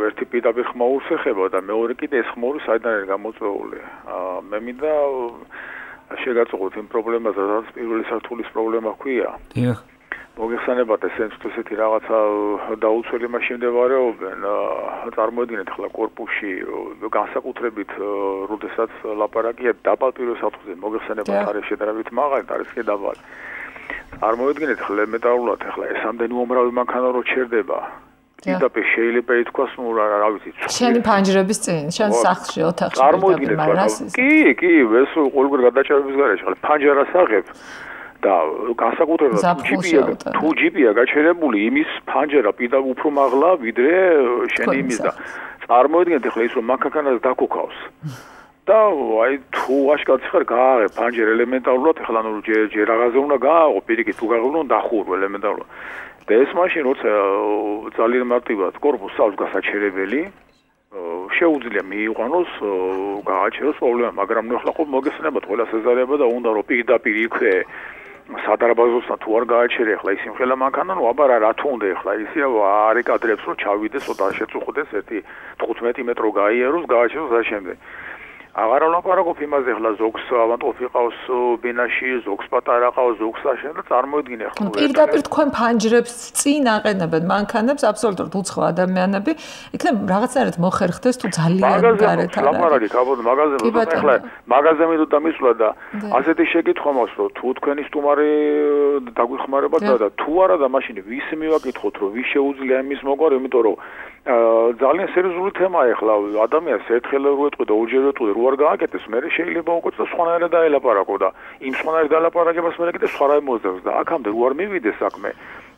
ერთი პირდაპირ ხმაურს ეხება და მეორე კიდე ეს ხმაური საიდან არის გამოწვეული. მე მინდა შეგაწყვეტ იმ პრობლემაზე, რაც პირველი სართულის პრობლემა ჰქვია. დიახ. მოგეხსენებათ ესეთი რაღაცა დაუცველი მასში მდებარეობენ. წარმოედგინეთ ახლა კორპუსში განსაკუთრებით, როდესაც ლაპარაკია დაბალ პირველ სართულზე, მოგეხსენებათ არის შედარებით მაღალი, არის კი დაბალი. წარმოედგინეთ ახლა ელემენტარულად ახლა ეს ამდენი უმრავი მანქანა რო ჩერდება. პირდაპირ შეიძლება ითქვას, ნუ რა ვიცი. შენი ფანჯრების წინ, შენ სახლში, ოთახში. წარმოედგინეთ, კი, ეს ყოველგვარ გადაჭერების გარეშე, ახლა ფანჯარას აღებ. და განსაკუთრებულად თუ ჯიპია გაჩერებული იმის ფანჯერა პირდა უფრო მაღლა ვიდრე შენი იმის და წარმოიდგინეთ ახლა ის რომ მანქანას დაკოქავს და აი თუ აშკარად ხარ გააღებ ფანჯერ ელემენტარულად ახლა ნუ ჯერ რაღაცა უნდა გააღო პირიქით თუ გააღებ უნდა დახურო ელემენტარულად და ეს მაშინ როცა ძალიან მარტივად კორპუსს აქვს გასაჩერებელი შეუძლია მიიყვანოს გააჩეროს პრობლემა მაგრამ ნუ ახლა ხო მოგესწრებათ ყველა სეზარება და უნდა რომ პირდაპირ იქვე სადარბაზოსთან თუ არ გააჩერე ახლა ის იმხელა მანქანა ნუ აბა რა თუ უნდა ახლა ისე არ ეკადრებს რომ ჩავიდეს ცოტა შეწუხდეს 15 მეტრო გაიაროს გააჩეროს და შემდეგ აღარ ვლაპარაკობ იმაზე ახლა ზოგს ავანტყოფი ყავს ბინაში ზოგს პატარა ყავს ზოგს აშენ და წარმოიდგინე ახლა პირდაპირ თქვენ ფანჯრებს წინ აყენებენ მანქანებს აბსოლუტურად უცხო ადამიანები იქნებ რაღაცნაირად მოხერხდეს თუ ძალიან გარეთ არა ლაპარაკი კაბოდ მაღაზიაზე ახლა მაღაზიაზე თუ დამისვლა და ასეთი შეკითხვა მაქვს რომ თუ თქვენი სტუმარი დაგვიხმარებათ და თუ არა და მაშინ ვის მივაკითხოთ რომ ვის შეუძლია იმის მოგვარი იმიტომ რომ ძალიან სერიოზული თემაა ახლა ადამიანს ერთხელ რო ეტყვი და ორჯერ ეტყვი რო არ გააკეთეს მე შეიძლება უკეთ და სხვანაირად დაელაპარაკო და იმ სხვანაირად დალაპარაკებას მე კიდე სხვა რამე მოძებს და აქამდე რო არ მივიდეს საქმე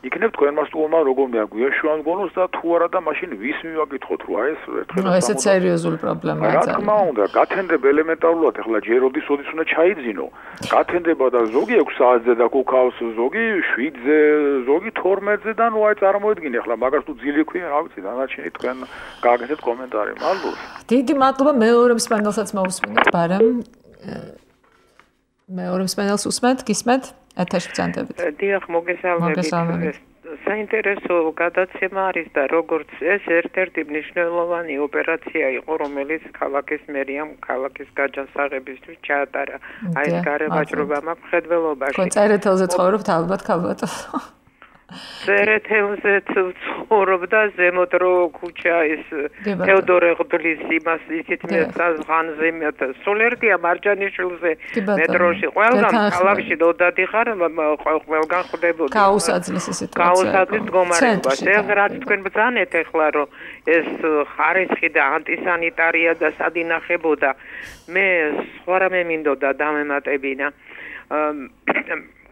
იქნებ თქვენმა სტუმარმა როგორ მიაგვიეშვან გონოს და თუ არა და მაშინ ვის მივაკითხოთ რო აი ეს ერთხელ ესეც სერიოზული პრობლემაა რა თქმა უნდა გათენდება ელემენტარულად ახლა ჯერ ოდის უნდა ჩაიძინო გათენდება და ზოგი 6 საათზე დაკოქავს ზოგი 7-ზე ზოგი 12-ზე და ნუ აი წარმოედგინე ახლა მაგას თუ ძილი ქვია რა ვიცი დანარჩენი თქვენ გააკეთეთ კომენტარი მადლობა დიდი მადლობა მეორე მსმენელსაც მოусმინეთ ბარემ მეორე მსმენელს უსმენთ გისმენთ ეთერში ბრძანდებით დიახ მოგესალმებით საინტერესო გადაცემა არის და როგორც ეს ერთ-ერთი მნიშვნელოვანი ოპერაცია იყო რომელიც ქალაქის მერიამ ქალაქის გაჯანსაღებისთვის ჩაატარა აი ეს გარევაჭრობა მაქვს მხედველობაში თქვენ წერეთელზე ცხოვრობთ ალბათ ქალბატონო წერეთელზე ცხოვრობდა ზემოთ რო ქუჩა ეს თეოდორე ღდლის იმას ისეთ მეცაზღანზე სულ ერთია მარჯანიშვილზე მეტროში ყველგან ქალაქში დოდადიხარ ყველგან ხდებოდა გაუსაძლისი სიტუაცია გაუსაძლისი მდგომარეობა ეს რაც თქვენ ბრძანეთ ახლა რომ ეს ხარისხი და ანტისანიტარია და სადინახებოდა მე სხვა რამე მინდოდა დამემატებინა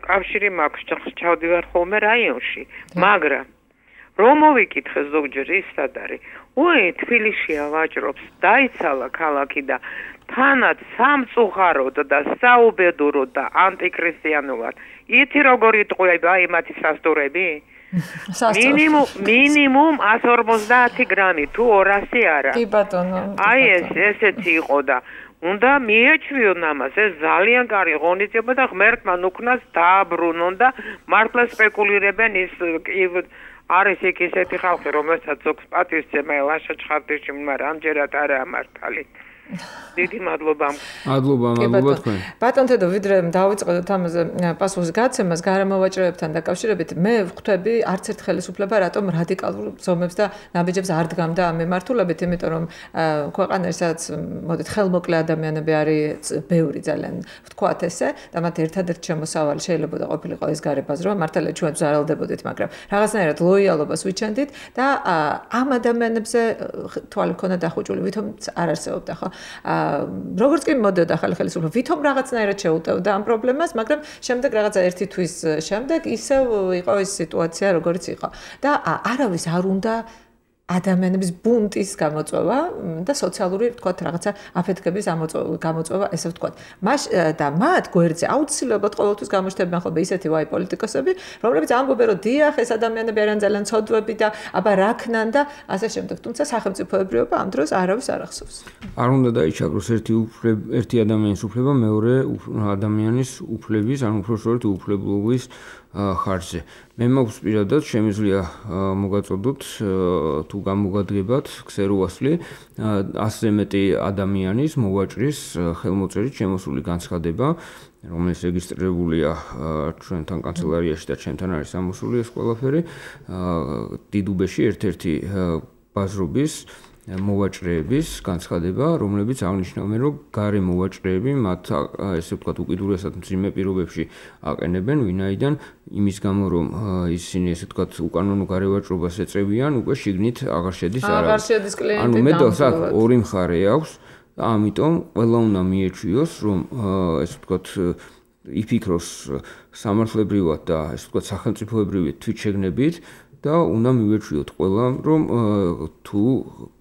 კავშირი მაქვს ჩავდივარ ხოლმე რაიონში მაგრამ რომ მოვიკითხე ზოგჯერ ის სად არის თბილისშია ვაჭრობს დაიცალა ქალაქი და თანაც სამწუხაროდ და საუბედუროდ და ანტიქრისტიანულად ითი როგორ იტყვება იმათი სასტურები მინიმუმ 150 გრამი თუ 200 არა კი ბატონო აი ესეთი იყო და უნდა მიეჩვიონ ამას ეს ძალიან კარგი ღონისძიება და ღმერთმა უქნას დააბრუნონ და მართლა სპეკულირებენ ის არის იქ ისეთი ხალხი რომელსაც ზოგს პატივცემა ლაშა ჩხარდიში მაგრამ ამჯერად არა მართალი დიდი მადლობა თქვენ ბატონ თედო ვიდრე დავიწყოთ ამაზე პასუხის გაცემას გარემოვაჭრეებთან დაკავშირებით მე ვხვდები არც ერთ ხელისუფლება რატომ რადიკალურ ზომებს და ნაბიჯებს არ დგამდა ამ მიმართულებით იმიტომ რომ ქვეყანაში სადაც მოდით ხელმოკლე ადამიანები არის ბევრი ძალიან ვთქვათ ესე და მათ ერთადერთ შემოსავალი შეიძლება და ყოფილიყო ეს გარებაზრობა მართალია ჩვენ ზარალდებოდით მაგრამ რაღაცნაირად ლოიალობას ვიჩენდით და ამ ადამიანებზე თვალი ქონდა დახუჭული ვითომ არ არსებობდა ხო როგორც კი მოდოდა ახალი ხელისუფლება ვითომ რაღაცნაირად შეუტევდა ამ პრობლემას მაგრამ შემდეგ რაღაცა ერთი თვის შემდეგ ისევ იყო ეს სიტუაცია როგორც იყო და არავის არ უნდა ადამიანების ბუნტის გამოწვევა და სოციალური თქვათ რაღაცა აფეთქების გამოწვევა ესე ვთქვათ და მათ გვერდზე აუცილებლად ყოველთვის გამოჩნდებიან ხოლმე ისეთი ვაი პოლიტიკოსები რომლებიც ამბობენ რომ დიახ ეს ადამიანები არიან ძალიან ცოდვები და აბა რა ქნან და ასე შემდეგ თუმცა სახელმწიფოებრიობა ამ დროს არავის არ ახსოვს არ უნდა დაიჩაგროს ერთი ადამიანის უფლება მეორე ადამიანის უფლების ან უпроშორეთ უფლებლობის ხარჯზე. მე მაქვს პირადად შემიძლია მოგაწოდოთ თუ გამოგადგებათ ქსეროასლი 100-ზე მეტი ადამიანის მოვაჭრის ხელმოწერით შემოსული განცხადება, რომელიც რეგისტრირებულია ჩვენთან კანცელარიაში და ჩვენთან არის ამოსული ეს ყველაფერი. დიდუბეში ერთ-ერთი ბაზრობის მოვაჭრეების განცხადება, რომლებიც აღნიშნავენ, რომ გარე მოვაჭრეები მათ ესე ვთქვათ უკიდურესად მძიმე პირობებში აყენებენ, ვინაიდან იმის გამო, რომ ისინი ესე ვთქვათ უკანონო გარევაჭრობას ეწევიან, უკვე შიგნით აღარ შედის არავის. აღარ შედის კლიენტი. ანუ მეტალს აქ ორი მხარე აქვს და ამიტომ ყველა უნდა მიეჩვიოს, რომ ესე ვთქვათ იფიქროს სამართლებრივად და ესე ვთქვათ სახელმწიფოებრივი თვითშეგნებით და უნდა მივეჩვიოთ ყველა რომ თუ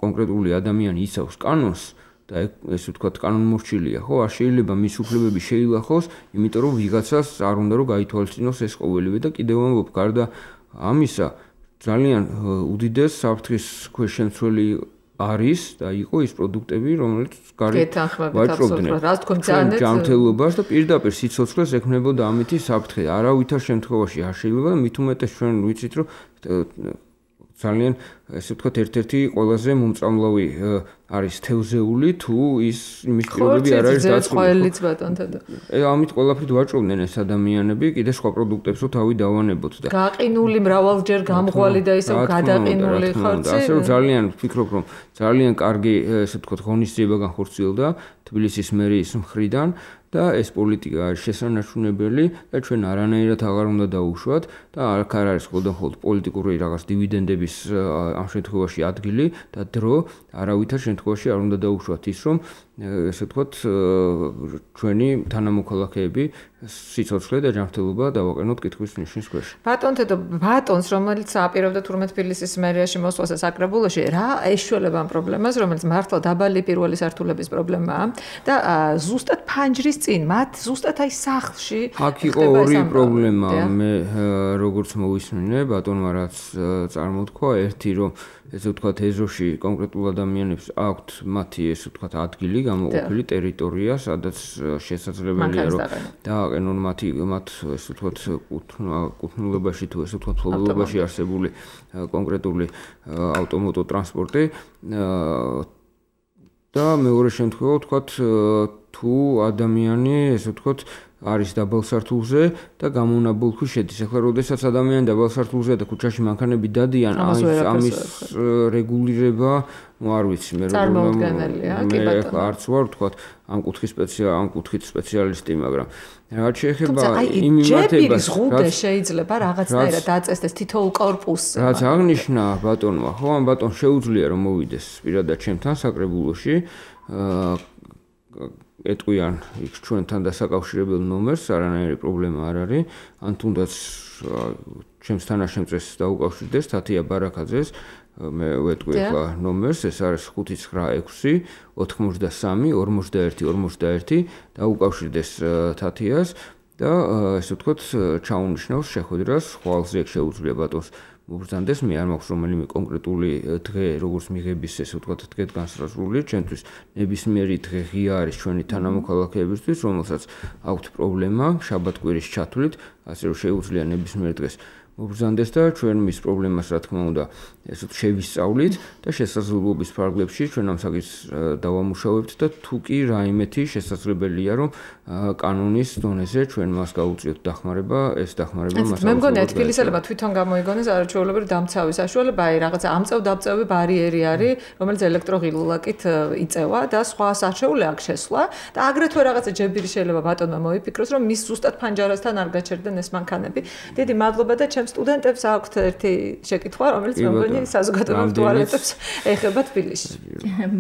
კონკრეტული ადამიანი იცავს კანონს და ესე ვთქვათ კანონმორჩილია ხო არ შეიძლება მის უფლებები შეილახოს იმიტომ რომ ვიღაცას არ უნდა რომ გაითვალისწინოს ეს ყოველივე და კიდევ ამბობ გარდა ამისა ძალიან უდიდეს საფრთხის ქვეშ შემცველი არის და იყო ის პროდუქტები რომელიც გარეთ ვაჭრობდნენ რა თქვენ ძალიან ჯანმრთელობას და პირდაპირ სიცოცხლეს ექმნებოდა ამითი საფრთხე არავითარ შემთხვევაში არ შეიძლება და მით უმეტეს ჩვენ ვიცით რომ ძალიან ესე ვთქვათ ერთ-ერთი ყველაზე მომწამლავი არის თევზეული თუ ის იმის პირობები არ არის დაწყობილი ბატონთადა ამით ყველაფრით ვაჭრობდნენ ეს ადამიანები კიდე სხვა პროდუქტებს რო თავი დავანებოთ და გაყინული მრავალჯერ გამღვალი და ისევ გადაყინული ხორცი ასე რომ ძალიან ვფიქრობ რომ ძალიან კარგი ესე ვთქვათ ღონისძიება განხორციელდა თბილისის მერიის მხრიდან და ეს პოლიტიკა არის შესანარჩუნებელი და ჩვენ არანაირად აღარ უნდა დაუშვათ და არ არის ხოლმე პოლიტიკური რაღაც დივიდენდების ამ შემთხვევაში ადგილი და დრო არავითარ შემთხვევაში არ უნდა დაუშვათ ის რომ ესე ვთქვათ ჩვენი თანამოქალაქეები სიცოცხლე და ჯანმრთელობა დავაყენოთ კითხვის ნიშნის ქვეშ. ბატონს რომელიც აპირებდა თურმე თბილისის მერიაში მოსვლას საკრებულოში რა ეშველება ამ პრობლემას რომელიც მართლა დაბალი პირველი სართულების პრობლემაა და ზუსტად ფანჯრის წინ მათ ზუსტად აი სახლში აქ იყო ორი პრობლემა მე როგორც მოვისმინე ბატონმა რაც წარმოთქვა ერთი რომ ესე ვთქვათ ეზოში კონკრეტულ ადამიანებს აქვთ მათი ესე ვთქვათ ადგილი გამოყოფილი ტერიტორია სადაც შესაძლებელია რომ დააყენონ მათ ესე ვთქვათ კუთვნილებაში თუ ესე ვთქვათ ფლობელობაში არსებული კონკრეტული ავტომოტოტრანსპორტი და მეორე შემთხვევა ვთქვათ თუ ადამიანი ესე ვთქვათ არის დაბალ სართულზე და გამონაბოლქვი შედის. ახლა როდესაც ადამიანი დაბალ სართულზეა და ქუჩაში მანქანები დადიან, ამის რეგულირება, არ ვიცი, მე არც ვარ ვთქვათ ამ კუთხით სპეციალისტი, მაგრამ რაც შეეხება იმ მიმართებას, რაც შეიძლება რაღაცნაირად დაწესდეს თითოეულ კორპუსზე. რაც აღნიშნა ბატონმა, ხო, ამ ბატონს შეუძლია რომ მოვიდეს პირადად ჩემთან საკრებულოში, ეტყვიან იქ ჩვენთან დასაკავშირებელ ნომერს, არანაირი პრობლემა არ არის, ან თუნდაც ჩემს თანაშემწეს დაუკავშირდეს თათია ბარაკაძეს, მე ვეტყვი ახლა ნომერს, ეს არის 596 83 41 დაუკავშირდეს თათიას და ესე ვთქვათ ჩაუნიშნავს შეხვედრას, ხვალზე შეუძლია ბატონს მობრძანდეს, მე არ მაქვს რომელიმე კონკრეტული დღე, როგორც მიღების ესე ვთქვათ დღე განსაზღვრული, ჩვენთვის ნებისმიერი დღე ღია არის ჩვენი თანამოქალაქეებისთვის, რომელსაც აქვთ პრობლემა შაბათ-კვირის ჩათვლით, ასე რომ შეუძლია ნებისმიერ დღეს მობრძანდეს და ჩვენ მის პრობლემას რა თქმა უნდა ესე შევისწავლით და შესაძლებლობის ფარგლებში ჩვენ ამ საკითხს დავამუშავებთ და თუ კი რაიმეთი შესაძლებელია რომ კანონის დონეზე ჩვენ მას გავუწიოთ დახმარება, ეს დახმარება მას მე მგონია თბილისელებმა თვითონ გამოიგონეს არაჩვეულებრივი დამცავის საშუალება, აი რაღაცა ამწევ-დაბწევი ბარიერი არის, რომელიც ელექტროღილულაკით იწევა და სხვა საშუალება აქვს შესვლა და აგრეთვე რაღაცა ჯებირი შეიძლება ბატონმა მოიფიქროს, რომ მის ზუსტად ფანჯარასთან არ გაჩერდნენ ეს მანქანები. დიდი მადლობა და ჩემს სტუდენტებს აქვთ ერთი შეკითხვა, რომელიც მე მგონია საზოგადოებრივ ტუალეტებს ეხება თბილისში.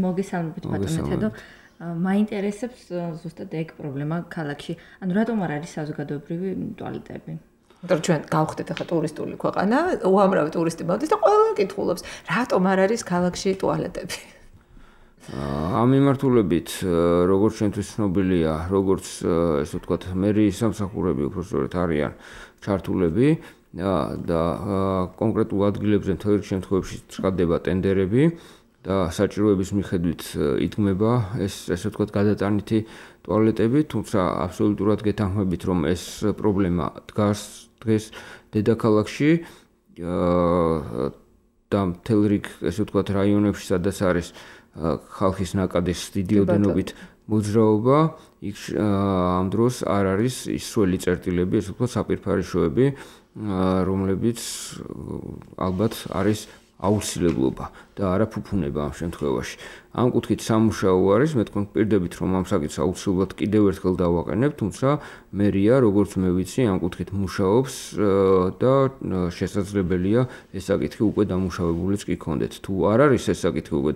მოგესალმებით ბატონეთო. მაინტერესებს ზუსტად ეგ პრობლემა ქალაქში. ანუ რატომ არ არის საზოგადოებრივი ტუალეტები? იმიტომ ჩვენ გავხდეთ ახლა ტურისტული ქვეყანა, უამრავი ტურისტი მოდის და ყველა კითხულობს, რატომ არ არის ქალაქში ტუალეტები? ამ მიმართულებით როგორც ჩვენთვის ცნობილია, როგორც ესე ვთქვათ, მერიის სამსახურები უпростоრეთ არიან ჩართულები და კონკრეტულ ადგილებზე მთელ რიგ შემთხვევებში ცხადდება ტენდერები და საჭიროების მიხედვით იდგმება ესე ვთქვათ გადატანითი ტუალეტები, თუმცა აბსოლუტურად გეთანხმებით, რომ ეს პრობლემა დგას დღეს დედაქალაქში და მთელ რიგ ესე ვთქვათ რაიონებში, სადაც არის ხალხის ნაკადის დიდი ოდენობით მოძრაობა, იქ ამ დროს არ არის ის სველი წერტილები, ესე ვთქვათ საპირფარეშოები, რომლებიც ალბათ არის აუცილებლობა და არა ფუფუნება ამ შემთხვევაში. ამ კუთხით სამუშაო არის, მე თქვენ პირდებით რომ ამ საკითხს აუცილებლად კიდევ ერთხელ დავაყენებ, თუმცა მერია, როგორც მე ვიცი, ამ კუთხით მუშაობს და შესაძლებელია ეს საკითხი უკვე დამუშავებულიც კი ქონდეთ. თუ არ არის ეს საკითხი უკვე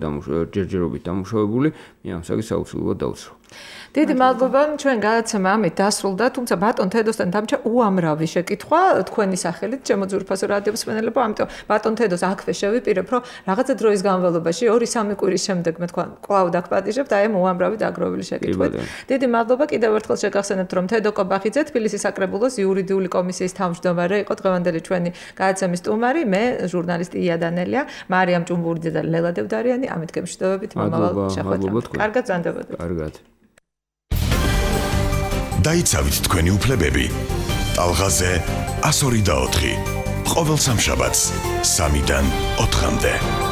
ჯერჯერობით დამუშავებული, მე ამ საკითხს აუცილებლად დავცრო. დიდი მადლობა, ჩვენ გადაცემა ამით დასრულდა, თუმცა ბატონ თედოსთან დამჭა უამრავი შეკითხვა თქვენი სახელით, ჩემო ძვირფასო რადიო მსმენელებო, ამიტომ ბატონ თედოს აქვე შევიპირებ, რომ რაღაცა დროის განმავლობაში 2-3 კვირის შემდეგ მე თქვა კვლავ დაგპატიჟებთ აი ამ უამრავი დაგროვილი შეკითხვით. დიდი მადლობა, კიდევ ერთხელ შეგახსენებთ, რომ თედო კობახიძე თბილისის საკრებულოს იურიდიული კომისიის თავმჯდომარე იყო დღევანდელი ჩვენი გადაცემის სტუმარი, მე ჟურნალისტი ია დანელია, მარიამ ჭუმბურიძე და ლელა დევდარიანი, ამით გემშვიდობებით მომავალ შეხვედრამდე. კარგად გრძანდებოდეთ. კარგად. დაიცავით თქვენი უფლებები. ტალღაზე 102 და 4. ყოველ სამშაბათს 3-დან 4-მდე.